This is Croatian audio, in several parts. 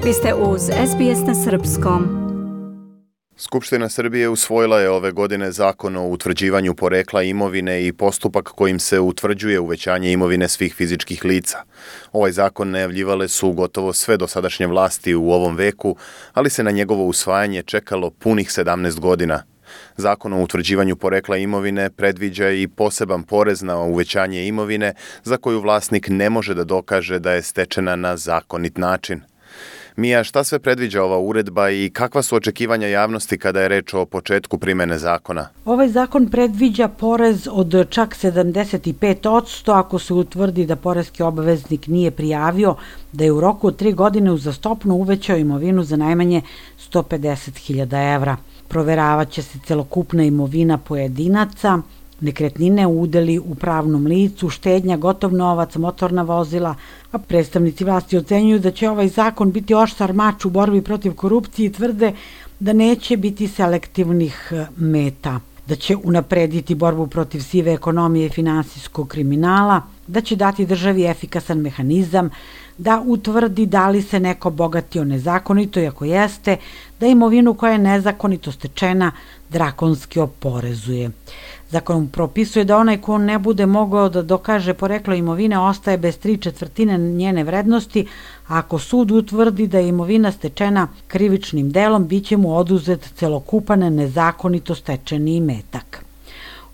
Vi ste uz SBS na srpskom. Skupština Srbije usvojila je ove godine zakon o utvrđivanju porekla imovine i postupak kojim se utvrđuje uvećanje imovine svih fizičkih lica. Ovaj zakon najavljivale su gotovo sve dosadašnje vlasti u ovom veku, ali se na njegovo usvajanje čekalo punih 17 godina. Zakon o utvrđivanju porekla imovine predviđa i poseban porez na uvećanje imovine za koju vlasnik ne može da dokaže da je stečena na zakonit način. Mija, šta sve predviđa ova uredba i kakva su očekivanja javnosti kada je reč o početku primene zakona? Ovaj zakon predviđa porez od čak 75% ako se utvrdi da poreski obaveznik nije prijavio da je u roku od 3 godine uzastopno uvećao imovinu za najmanje 150.000 evra. Proveravaće se celokupna imovina pojedinaca, nekretnine, udeli u pravnom licu, štednja, gotov novac, motorna vozila, a predstavnici vlasti ocenjuju da će ovaj zakon biti oštar mač u borbi protiv korupcije i tvrde da neće biti selektivnih meta, da će unaprediti borbu protiv sive ekonomije i finansijskog kriminala, da će dati državi efikasan mehanizam da utvrdi da li se neko bogatio nezakonito i ako jeste, da imovinu koja je nezakonito stečena drakonski oporezuje. Zakon propisuje da onaj ko ne bude mogao da dokaže poreklo imovine ostaje bez 3/4 njene vrednosti, a ako sud utvrdi da je imovina stečena krivičnim delom, bit će mu oduzet celokupan nezakonito stečeni imetak.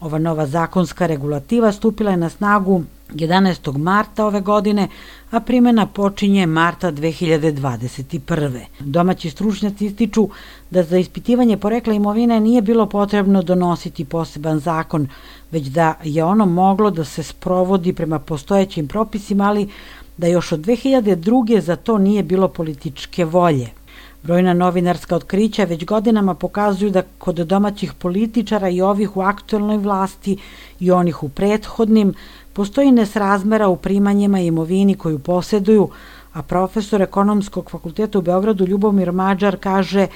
Ova nova zakonska regulativa stupila je na snagu 11. marta ove godine, a primjena počinje marta 2021. Domaći stručnjaci ističu da za ispitivanje porekla imovine nije bilo potrebno donositi poseban zakon, već da je ono moglo da se sprovodi prema postojećim propisima, ali da još od 2002. za to nije bilo političke volje. Brojna novinarska otkrića već godinama pokazuju da kod domaćih političara i ovih u aktuelnoj vlasti i onih u prethodnim postoji nesrazmera u primanjima i imovini koju posjeduju, a profesor ekonomskog fakulteta u Beogradu Ljubomir Mađar kaže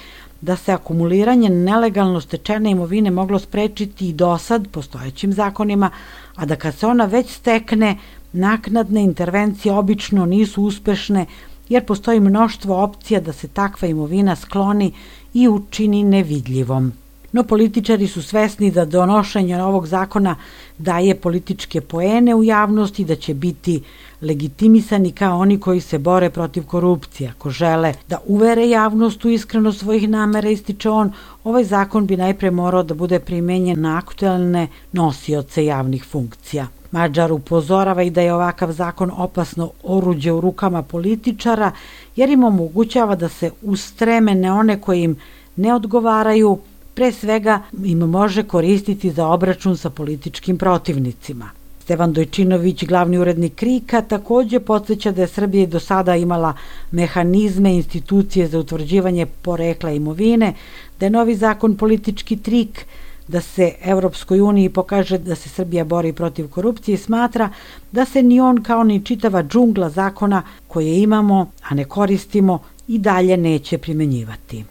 da se akumuliranje nelegalno stečene imovine moglo sprečiti i dosad postojećim zakonima, a da kad se ona već stekne, naknadne intervencije obično nisu uspešne jer postoji mnoštvo opcija da se takva imovina skloni i učini nevidljivom. No političari su svesni da donošenje ovog zakona daje političke poene u javnosti, da će biti legitimisani kao oni koji se bore protiv korupcije. Ako žele da uvere javnost u iskrenost svojih namera, ističe on, ovaj zakon bi najpre morao da bude primenjen na aktuelne nosioce javnih funkcija. Mađar upozorava i da je ovakav zakon opasno oruđe u rukama političara, jer im omogućava da se ustreme na one koji im ne odgovaraju, pre svega im može koristiti za obračun sa političkim protivnicima. Stevan Dojčinović, glavni urednik KRIK-a, također podsjeća da je Srbija do sada imala mehanizme, institucije za utvrđivanje porekla imovine, da je novi zakon politički trik, da se Evropskoj uniji pokaže da se Srbija bori protiv korupcije i smatra da se ni on kao ni čitava džungla zakona koje imamo, a ne koristimo, i dalje neće primenjivati.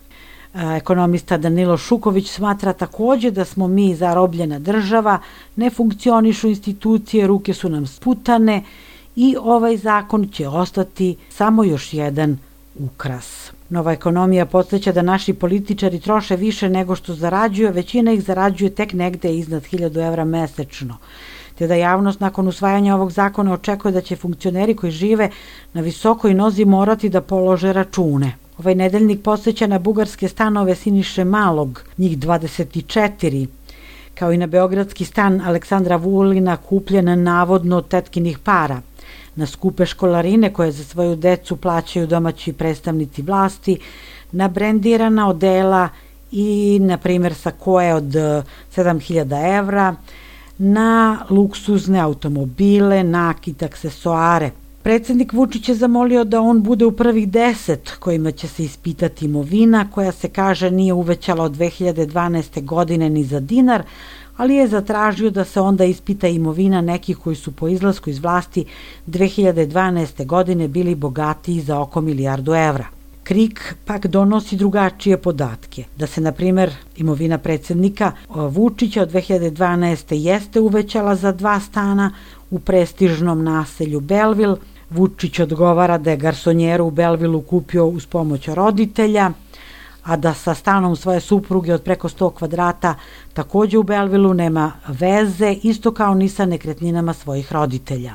Ekonomista Danilo Šuković smatra također da smo mi zarobljena država, ne funkcionišu institucije, ruke su nam sputane i ovaj zakon će ostati samo još jedan ukras. Nova ekonomija podsjeća da naši političari troše više nego što zarađuju, većina ih zarađuje tek negde iznad 1.000 evra mesečno, te da javnost nakon usvajanja ovog zakona očekuje da će funkcioneri koji žive na visokoj nozi morati da polože račune. Ovaj nedeljnik podsjeća na bugarske stanove Siniše Malog, njih 24, kao i na beogradski stan Aleksandra Vulina kupljen navodno od tetkinih para, na skupe školarine koje za svoju decu plaćaju domaći predstavnici vlasti, na brendirana odela i, na primjer, sakoe od 7.000 evra, na luksuzne automobile, nakit, aksesoare. Predsjednik Vučić je zamolio da on bude u prvih 10 kojima će se ispitati imovina, koja se kaže nije uvećala od 2012. godine ni za dinar, ali je zatražio da se onda ispita imovina nekih koji su po izlasku iz vlasti 2012. godine bili bogatiji za oko 1 milijardu evra. KRIK pak donosi drugačije podatke, da se, na primjer, imovina predsjednika Vučića od 2012. jeste uvećala za 2 stana u prestižnom naselju Belville, Vučić odgovara da je garsonjeru u Belvilu kupio uz pomoć roditelja, a da sa stanom svoje supruge od preko 100 kvadrata takođe u Belvilu nema veze, isto kao ni sa nekretninama svojih roditelja.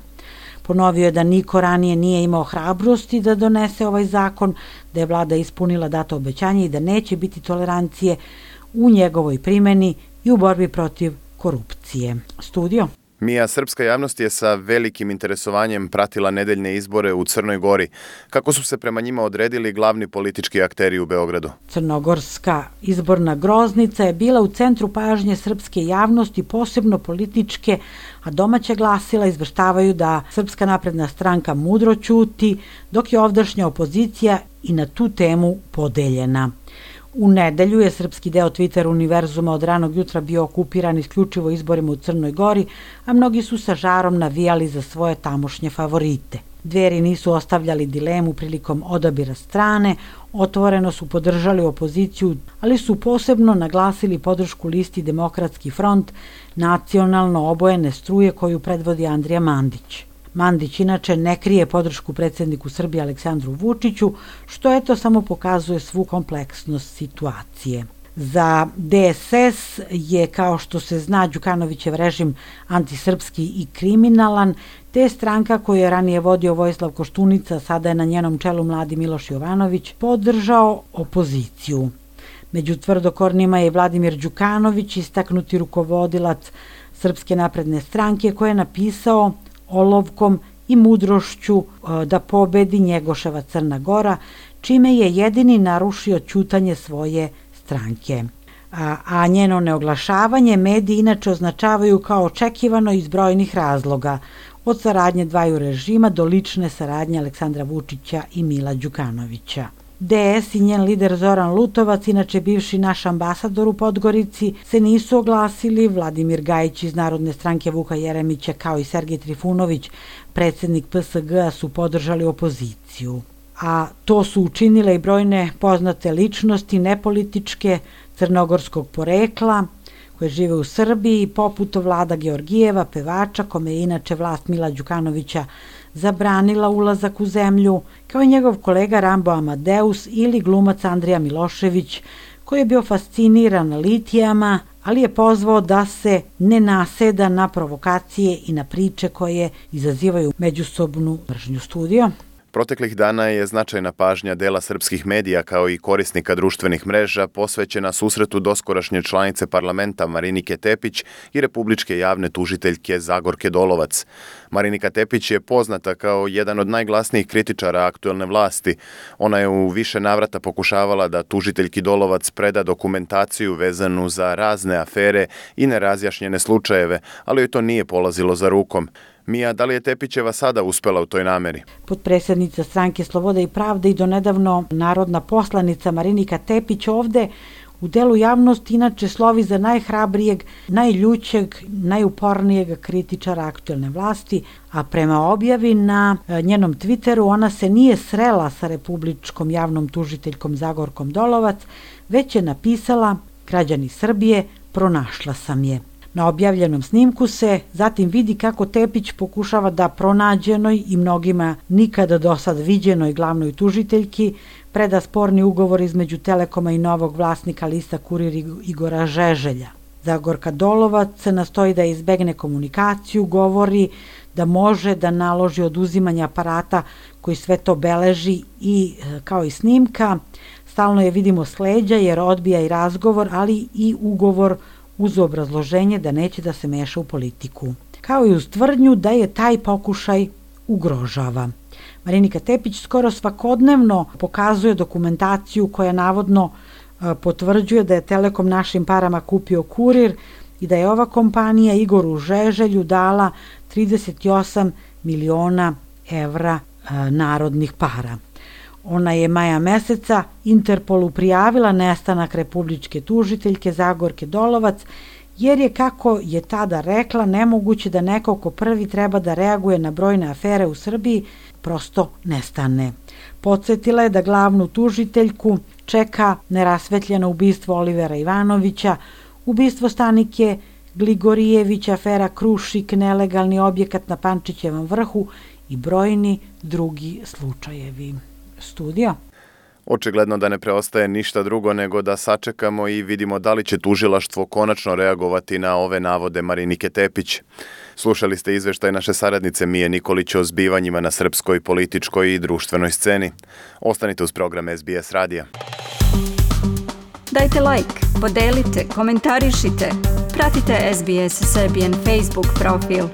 Ponovio je da niko ranije nije imao hrabrosti da donese ovaj zakon, da je vlada ispunila dato obećanje i da neće biti tolerancije u njegovoj primeni i u borbi protiv korupcije. Studio. Mija, srpska javnost je sa velikim interesovanjem pratila nedeljne izbore u Crnoj Gori. Kako su se prema njima odredili glavni politički akteri u Beogradu? Crnogorska izborna groznica je bila u centru pažnje srpske javnosti, posebno političke, a domaće glasila izveštavaju da Srpska napredna stranka mudro ćuti, dok je ovdašnja opozicija i na tu temu podeljena. U nedelju je srpski deo Twitter univerzuma od ranog jutra bio okupiran isključivo izborima u Crnoj Gori, a mnogi su sa žarom navijali za svoje tamošnje favorite. Dveri nisu ostavljali dilemu prilikom odabira strane, otvoreno su podržali opoziciju, ali su posebno naglasili podršku listi Demokratski front, nacionalno obojene struje koju predvodi Andrija Mandić. Mandić inače ne krije podršku predsjedniku Srbije Aleksandru Vučiću, što eto samo pokazuje svu kompleksnost situacije. Za DSS je, kao što se zna, Đukanovićev režim antisrpski i kriminalan, te stranka koju je ranije vodio Vojislav Koštunica, sada je na njenom čelu mladi Miloš Jovanović, podržao opoziciju. Među tvrdokornima je Vladimir Đukanović, istaknuti rukovodilac Srpske napredne stranke, koji je napisao olovkom i mudrošću da pobedi Njegoševa Crna Gora, čime je jedini narušio ćutanje svoje stranke. A njeno neoglašavanje mediji inače označavaju kao očekivano iz brojnih razloga, od saradnje dvaju režima do lične saradnje Aleksandra Vučića i Mila Đukanovića. DS i njen lider Zoran Lutovac, inače bivši naš ambasador u Podgorici, se nisu oglasili. Vladimir Gajić iz Narodne stranke Vuka Jeremića kao i Sergej Trifunović, predsjednik PSG-a, su podržali opoziciju. A to su učinile i brojne poznate ličnosti nepolitičke crnogorskog porekla koje žive u Srbiji, poput Vlada Georgijeva, pevača, kome je inače vlast Mila Đukanovića zabranila ulazak u zemlju, kao i njegov kolega Rambo Amadeus ili glumac Andrija Milošević, koji je bio fasciniran litijama, ali je pozvao da se ne naseda na provokacije i na priče koje izazivaju međusobnu mržnju. Studio. Proteklih dana je značajna pažnja dela srpskih medija kao i korisnika društvenih mreža posvećena susretu doskorašnje članice parlamenta Marinike Tepić i republičke javne tužiteljke Zagorke Dolovac. Marinika Tepić je poznata kao jedan od najglasnijih kritičara aktuelne vlasti. Ona je u više navrata pokušavala da tužiteljki Dolovac preda dokumentaciju vezanu za razne afere i nerazjašnjene slučajeve, ali joj to nije polazilo za rukom. Mija, da li je Tepićeva sada uspela u toj nameri? Potpredsjednica Stranke Sloboda i pravde i donedavno narodna poslanica Marinika Tepić ovde u delu javnosti inače slovi za najhrabrijeg, najljućeg, najupornijeg kritičara aktuelne vlasti, a prema objavi na njenom Twitteru ona se nije srela sa republičkom javnom tužiteljkom Zagorkom Dolovac, već je napisala: građani Srbije, pronašla sam je. Na objavljenom snimku se zatim vidi kako Tepić pokušava da pronađenoj i mnogima nikada do sad viđenoj glavnoj tužiteljki preda sporni ugovor između Telekoma i novog vlasnika lista Kurir Igora Žeželja. Zagorka Dolovac nastoji da izbegne komunikaciju, govori da može da naloži oduzimanje aparata koji sve to beleži i kao i snimka. Stalno je vidimo s leđa jer odbija i razgovor, ali i ugovor uz obrazloženje da neće da se meša u politiku. Kao i uz tvrdnju da je taj pokušaj ugrožava. Marinika Tepić skoro svakodnevno pokazuje dokumentaciju koja navodno potvrđuje da je Telekom našim parama kupio Kurir i da je ova kompanija Igoru Žeželju dala 38 miliona evra narodnih para. Ona je maja meseca Interpolu prijavila nestanak republičke tužiteljke Zagorke Dolovac, jer je, kako je tada rekla, nemoguće da neko ko prvi treba da reaguje na brojne afere u Srbiji prosto nestane. Podsjetila je da glavnu tužiteljku čeka nerasvetljeno ubistvo Olivera Ivanovića, ubistvo Stanike Gligorijević, afera Krušik, nelegalni objekat na Pančićevom vrhu i brojni drugi slučajevi. Studio? Očigledno da ne preostaje ništa drugo nego da sačekamo i vidimo da li će tužilaštvo konačno reagovati na ove navode Marinike Tepić. Slušali ste izveštaj naše saradnice Mije Nikolić o zbivanjima na srpskoj političkoj i društvenoj sceni. Ostanite uz program SBS radija. Dajte like, podelite, komentarišite. Pratite SBS Serbian Facebook profil.